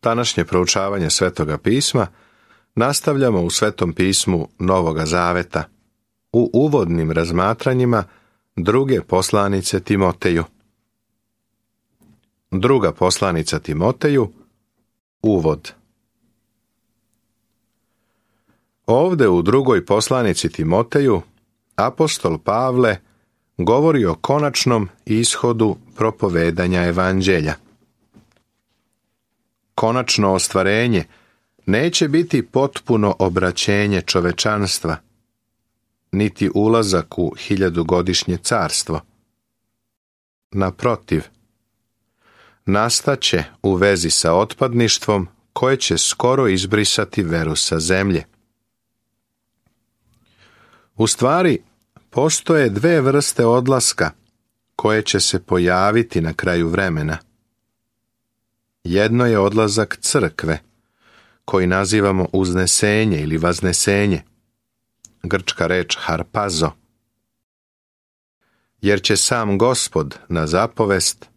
Današnje proučavanje Svetoga pisma nastavljamo u Svetom pismu Novoga Zaveta, u uvodnim razmatranjima druge poslanice Timoteju. Druga poslanica Timoteju, uvod. Ovde u drugoj poslanici Timoteju apostol Pavle govori o konačnom ishodu propovedanja evanđelja. Konačno ostvarenje neće biti potpuno obraćenje čovečanstva, niti ulazak u 1000-godišnje carstvo. Naprotiv, nastaće u vezi sa otpadništvom koje će skoro izbrisati veru sa zemlje. U stvari, postoje dve vrste odlaska koje će se pojaviti na kraju vremena. Jedno je odlazak crkve, koji nazivamo uznesenje ili vaznesenje, grčka reč harpazo, jer će sam Gospod na zapovest,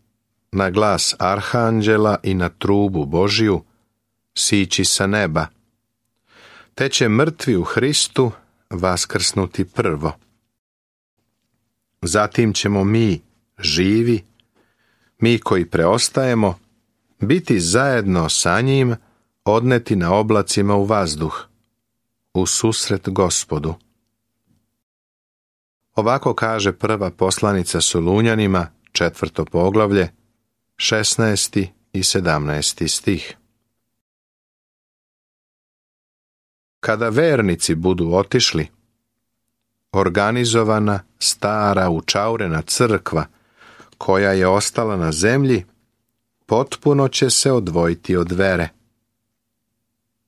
na glas arhanđela i na trubu Božiju sići sa neba, te će mrtvi u Hristu vaskrsnuti prvo. Zatim ćemo mi, živi, mi koji preostajemo, biti zajedno sa njim odneti na oblacima u vazduh, u susret Gospodu. Ovako kaže prva poslanica Solunjanima, 4. poglavlje, 16. i 17. stih. Kada vernici budu otišli, organizovana, stara, učaurena crkva, koja je ostala na zemlji, potpuno će se odvojiti od vere.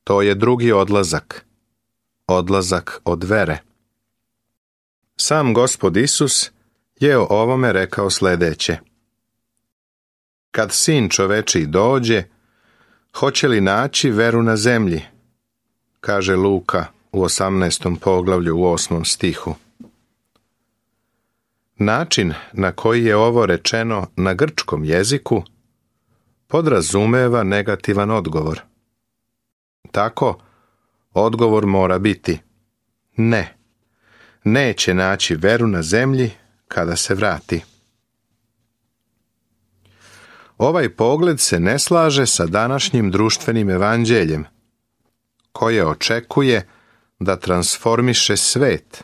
To je drugi odlazak, odlazak od vere. Sam Gospod Isus je o ovome rekao sljedeće. Kad Sin čovečiji dođe, hoće li naći veru na zemlji? Kaže Luka u 18. poglavlju u 8. stihu. Način na koji je ovo rečeno na grčkom jeziku podrazumeva negativan odgovor. Tako, odgovor mora biti ne. Neće naći veru na zemlji kada se vrati. Ovaj pogled se ne slaže sa današnjim društvenim evanđeljem, koje očekuje da transformiše svet,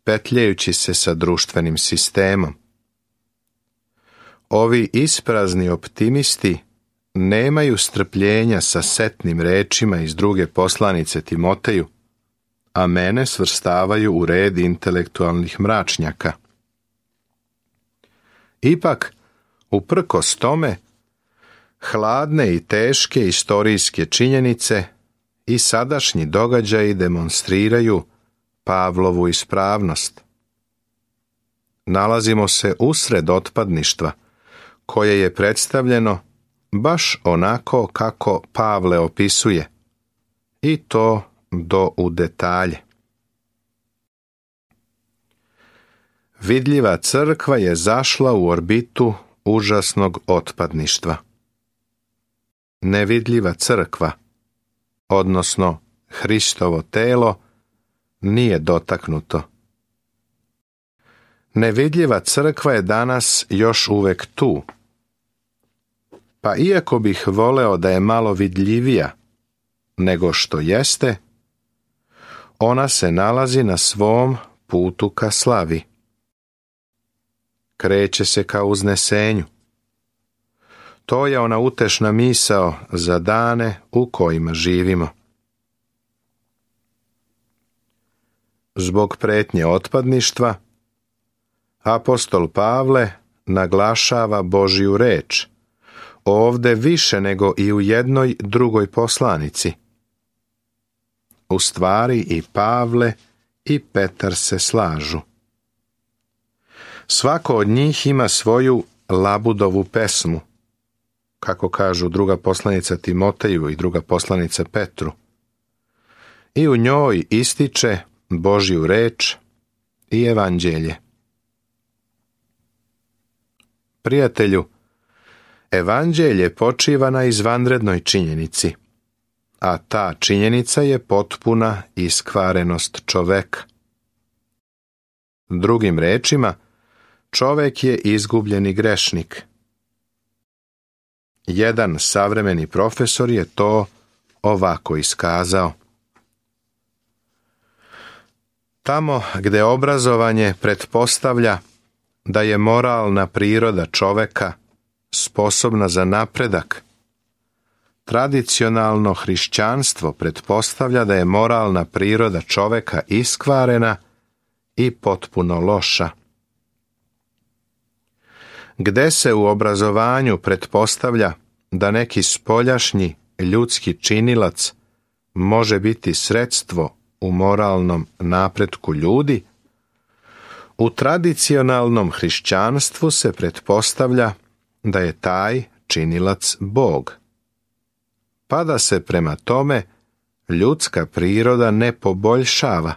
petljajući se sa društvenim sistemom. Ovi isprazni optimisti nemaju strpljenja sa setnim rečima iz druge poslanice Timoteju, a mene svrstavaju u red intelektualnih mračnjaka. Ipak, uprkos tome, hladne i teške istorijske činjenice i sadašnji događaji demonstriraju Pavlovu ispravnost. Nalazimo se usred otpadništva, koje je predstavljeno baš onako kako Pavle opisuje, i to do u detalje. Vidljiva crkva je zašla u orbitu užasnog otpadništva. Nevidljiva crkva, odnosno Hristovo telo, nije dotaknuto. Nevidljiva crkva je danas još uvek tu. Pa iako bih voleo da je malo vidljivija nego što jeste, ona se nalazi na svom putu ka slavi. Kreće se ka uznesenju. To je ona utešna misao za dane u kojima živimo. Zbog pretnje otpadništva, apostol Pavle naglašava Božju reč, ovde više nego i u jednoj drugoj poslanici. U stvari i Pavle i Petar se slažu. Svako od njih ima svoju Labudovu pesmu, kako kažu druga poslanica Timoteju i druga poslanica Petru, i u njoj ističe Božju reč i evanđelje. Prijatelju, Evanđelje počiva na izvanrednoj činjenici, a ta činjenica je potpuna iskvarenost čoveka. Drugim rečima, čovek je izgubljeni grešnik. Jedan savremeni profesor je to ovako iskazao. Tamo gde obrazovanje pretpostavlja da je moralna priroda čoveka sposobna za napredak, tradicionalno hrišćanstvo pretpostavlja da je moralna priroda čoveka iskvarena i potpuno loša. Gde se u obrazovanju pretpostavlja da neki spoljašnji ljudski činilac može biti sredstvo u moralnom napretku ljudi, u tradicionalnom hrišćanstvu se pretpostavlja da je taj činilac Bog, pa da se prema tome ljudska priroda ne poboljšava,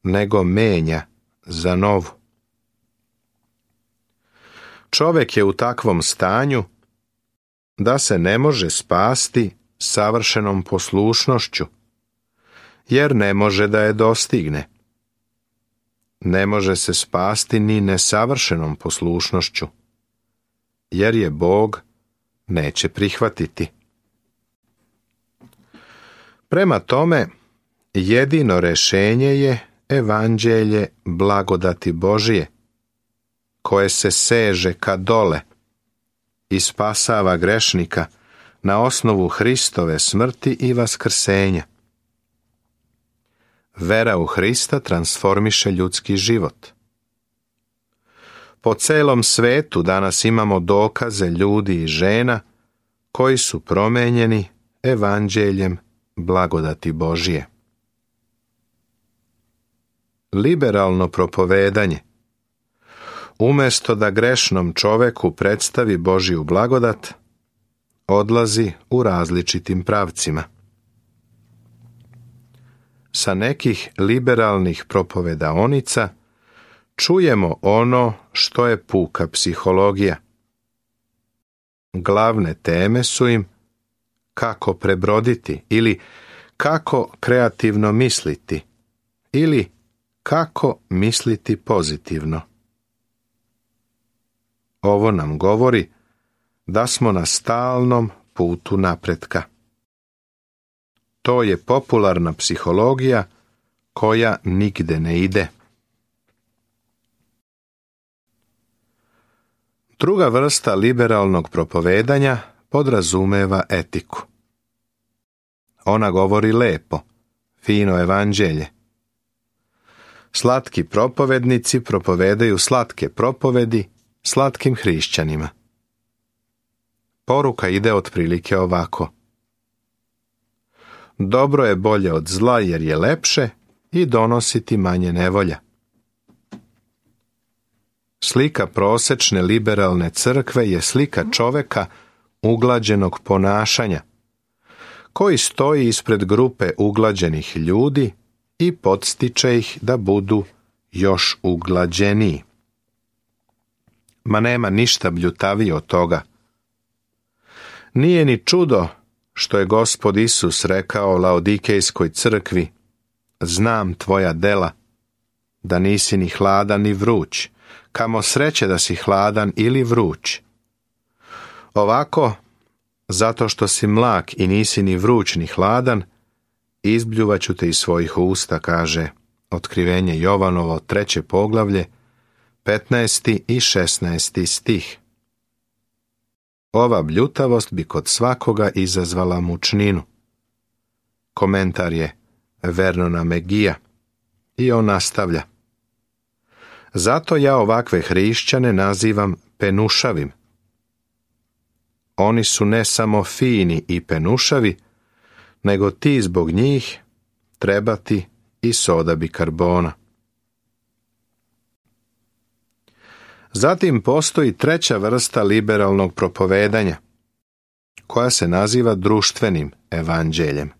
nego menja za novu. Čovek je u takvom stanju da se ne može spasti savršenom poslušnošću, jer ne može da je dostigne. Ne može se spasti ni nesavršenom poslušnošću, jer je Bog neće prihvatiti. Prema tome, jedino rešenje je evanđelje blagodati Božije, koje se seže ka dole i spasava grešnika na osnovu Hristove smrti i vaskrsenja. Vera u Hrista transformiše ljudski život. Po celom svetu danas imamo dokaze ljudi i žena koji su promenjeni evanđeljem blagodati Božije. Liberalno propovedanje, umjesto da grešnom čoveku predstavi Božju blagodat, odlazi u različitim pravcima. Sa nekih liberalnih propovedaonica čujemo ono što je puka psihologija. Glavne teme su im kako prebroditi ili kako kreativno misliti ili kako misliti pozitivno. Ovo nam govori da smo na stalnom putu napretka. To je popularna psihologija koja nigde ne ide. Druga vrsta liberalnog propovedanja podrazumeva etiku. Ona govori lepo, fino evanđelje. Slatki propovednici propovedaju slatke propovedi slatkim hrišćanima. Poruka ide otprilike ovako. Dobro je bolje od zla jer je lepše i donosi ti manje nevolja. Slika prosečne liberalne crkve je slika čoveka uglađenog ponašanja, koji stoji ispred grupe uglađenih ljudi i podstiče ih da budu još uglađeniji. Ma nema ništa bljutavije od toga. Nije ni čudo što je Gospod Isus rekao Laodikejskoj crkvi: znam tvoja dela, da nisi ni hladan ni vruć, kamo sreće da si hladan ili vruć. Ovako, zato što si mlak i nisi ni vruć ni hladan, izbljuvaću te iz svojih usta, kaže Otkrivenje Jovanovo 3. poglavlje, 15. i 16. stih. Ova bljutavost bi kod svakoga izazvala mučninu. Komentar je Vernona Megija i on nastavlja. Zato ja ovakve hrišćane nazivam penušavim. Oni su ne samo fini i penušavi, nego ti zbog njih trebati i soda bikarbona. Zatim postoji treća vrsta liberalnog propovedanja, koja se naziva društvenim evanđeljem.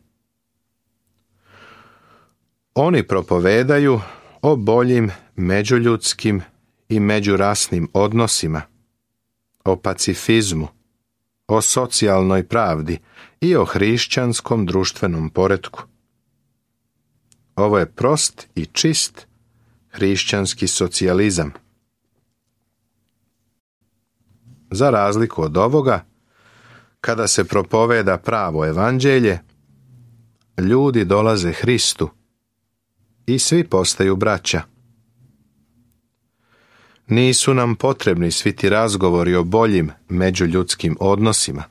Oni propovedaju o boljim međuljudskim i međurasnim odnosima, o pacifizmu, o socijalnoj pravdi i o hrišćanskom društvenom poretku. Ovo je prost i čist hrišćanski socijalizam. Za razliku od ovoga, kada se propoveda pravo evanđelje, ljudi dolaze Hristu i svi postaju braća. Nisu nam potrebni svi ti razgovori o boljim međuljudskim odnosima.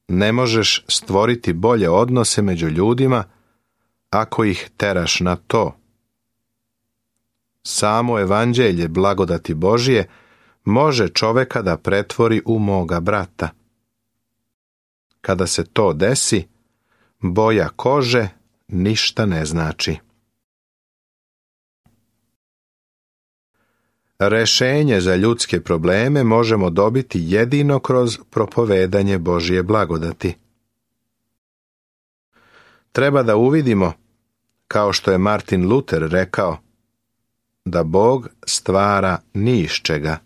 Ne možeš stvoriti bolje odnose među ljudima ako ih teraš na to. Samo evanđelje blagodati Božije može čoveka da pretvori u moga brata. Kada se to desi, boja kože ništa ne znači. Rešenje za ljudske probleme možemo dobiti jedino kroz propovedanje Božje blagodati. Treba da uvidimo, kao što je Martin Luther rekao, da Bog stvara ni iz čega.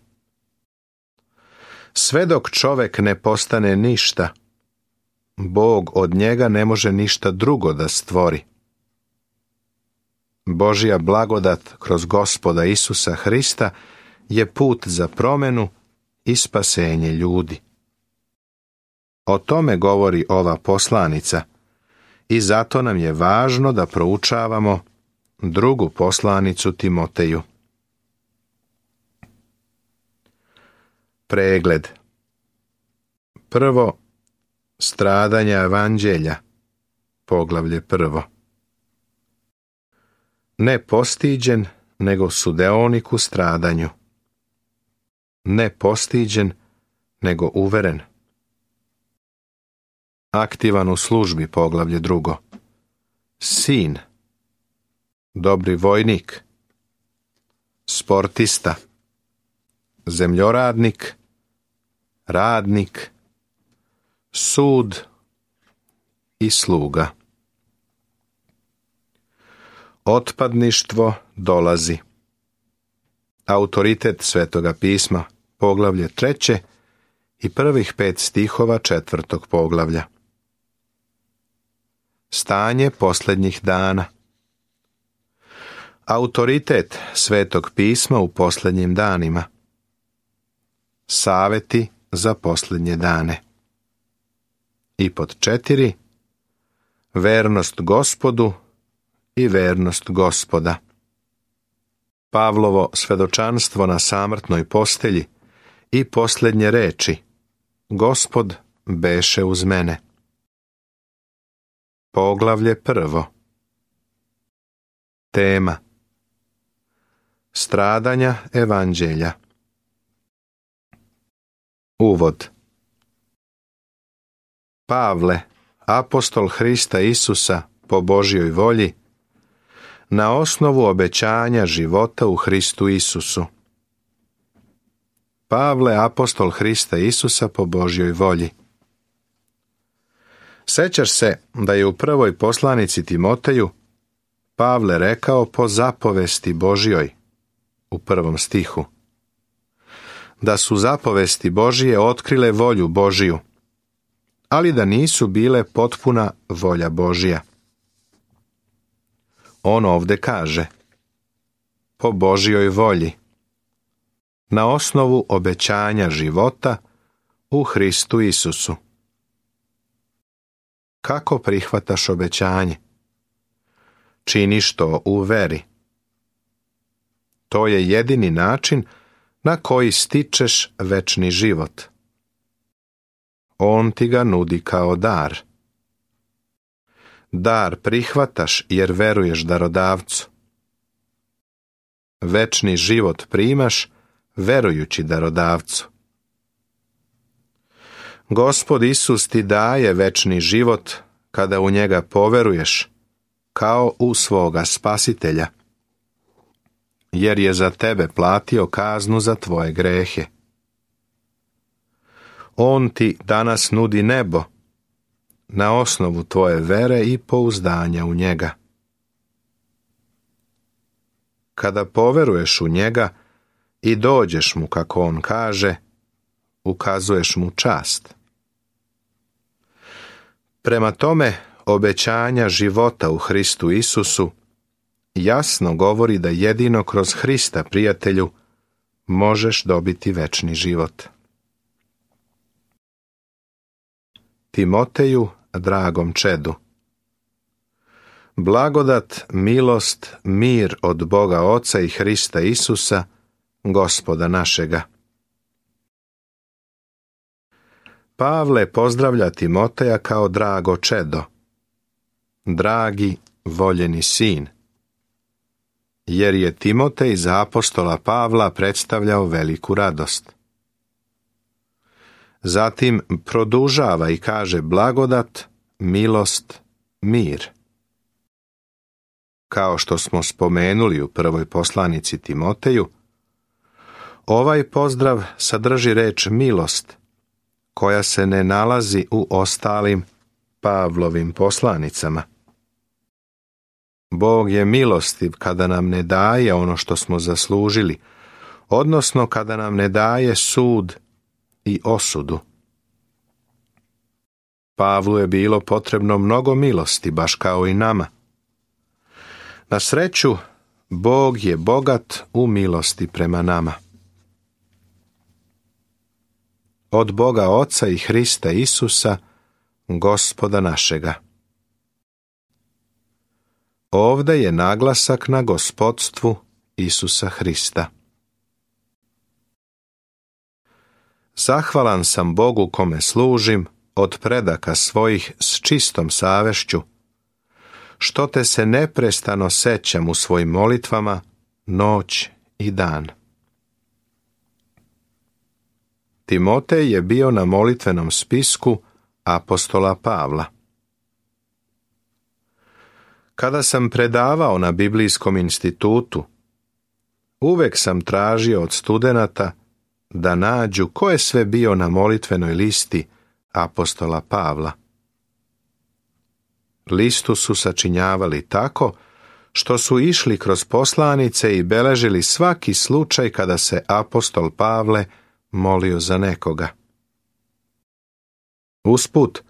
Sve dok čovek ne postane ništa, Bog od njega ne može ništa drugo da stvori. Božja blagodat kroz Gospoda Isusa Hrista je put za promenu i spasenje ljudi. O tome govori ova poslanica i zato nam je važno da proučavamo drugu poslanicu Timoteju. Pregled. Prvo, stradanja evanđelja, poglavlje 1. Ne postiđen, nego sudeonik u stradanju. Ne postiđen, nego uveren. Aktivan u službi, poglavlje 2. Sin. Dobri vojnik. Sportista. Zemljoradnik. Radnik. Sud i sluga. Otpadništvo dolazi. Autoritet Svetoga pisma, poglavlje 3. i prvih 5 stihova 4. poglavlja. Stanje posljednjih dana. Autoritet Svetog pisma u posljednjim danima. Saveti za posljednje dane. I pod 4. Vernost Gospodu i vernost Gospoda. Pavlovo svedočanstvo na samrtnoj postelji i posljednje reči: Gospod beše uz mene. Poglavlje 1. Tema: stradanja evanđelja. Uvod. Pavle, apostol Hrista Isusa po Božjoj volji, na osnovu obećanja života u Hristu Isusu. Pavle, apostol Hrista Isusa po Božjoj volji. Sećaš se da je u prvoj poslanici Timoteju Pavle rekao po zapovesti Božjoj, u 1. stihu, da su zapovesti Božije otkrile volju Božiju, ali da nisu bile potpuna volja Božja. On ovde kaže: po Božjoj volji, na osnovu obećanja života u Hristu Isusu. Kako prihvataš obećanje? Činiš to u veri. To je jedini način na koji stičeš večni život. On ti ga nudi kao dar. Dar prihvataš jer veruješ darodavcu. Večni život primaš verujući darodavcu. Gospod Isus ti daje večni život kada u njega poveruješ kao u svoga spasitelja, jer je za tebe platio kaznu za tvoje grehe. On ti danas nudi nebo na osnovu tvoje vere i pouzdanja u njega. Kada poveruješ u njega i dođeš mu, kako on kaže, ukazuješ mu čast. Prema tome, obećanja života u Hristu Isusu jasno govori da jedino kroz Hrista, prijatelju, možeš dobiti večni život. Timoteju, dragom čedu, blagodat, milost, mir od Boga Oca i Hrista Isusa, Gospoda našega. Pavle pozdravlja Timoteja kao drago čedo, dragi, voljeni sin, jer je Timotej za apostola Pavla predstavljao veliku radost. Zatim produžava i kaže blagodat, milost, mir. Kao što smo spomenuli u prvoj poslanici Timoteju, ovaj pozdrav sadrži reč milost, koja se ne nalazi u ostalim Pavlovim poslanicama. Bog je milostiv kada nam ne daje ono što smo zaslužili, odnosno kada nam ne daje sud i osudu. Pavlu je bilo potrebno mnogo milosti, baš kao i nama. Na sreću, Bog je bogat u milosti prema nama. Od Boga Oca i Hrista Isusa, Gospoda našega. Ovdje je naglasak na gospodstvu Isusa Hrista. Zahvalan sam Bogu kome služim od predaka svojih s čistom savješću, što te se neprestano sećam u svojim molitvama noć i dan. Timotej je bio na molitvenom spisku apostola Pavla. Kada sam predavao na Biblijskom institutu, uvek sam tražio od studenata da nađu ko je sve bio na molitvenoj listi apostola Pavla. Listu su sačinjavali tako što su išli kroz poslanice i beležili svaki slučaj kada se apostol Pavle molio za nekoga. Usput,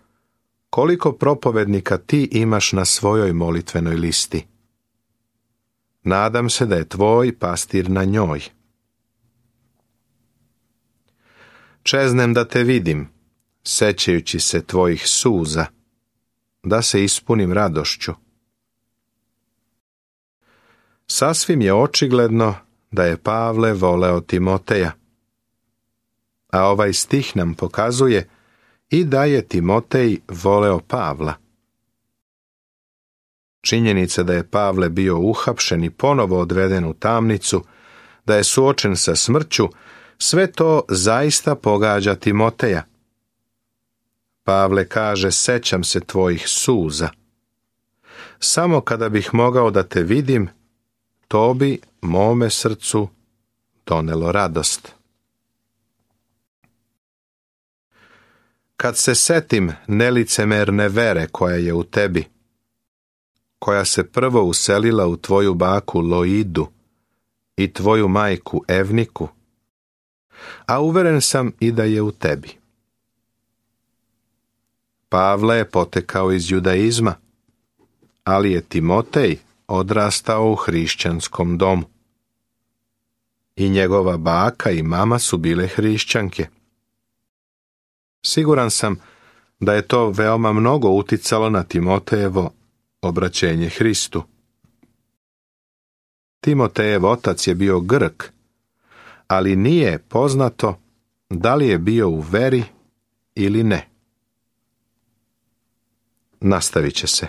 koliko propovednika ti imaš na svojoj molitvenoj listi? Nadam se da je tvoj pastir na njoj. Čeznem da te vidim, sećajući se tvojih suza, da se ispunim radošću. Sasvim je očigledno da je Pavle voleo Timoteja, a ovaj stih nam pokazuje i da je Timotej voleo Pavla. Činjenica da je Pavle bio uhapšen i ponovo odveden u tamnicu, da je suočen sa smrću, sve to zaista pogađa Timoteja. Pavle kaže, sećam se tvojih suza. Samo kada bih mogao da te vidim, to bi mome srcu donelo radost. Kad se setim nelicemerne vere koja je u tebi, koja se prvo uselila u tvoju baku Loidu i tvoju majku Evniku, a uveren sam i da je u tebi. Pavle je potekao iz judaizma, ali je Timotej odrastao u hrišćanskom domu. I njegova baka i mama su bile hrišćanke. Siguran sam da je to veoma mnogo uticalo na Timotejevo obraćenje Hristu. Timotejev otac je bio Grk, ali nije poznato da li je bio u veri ili ne. Nastavit će se.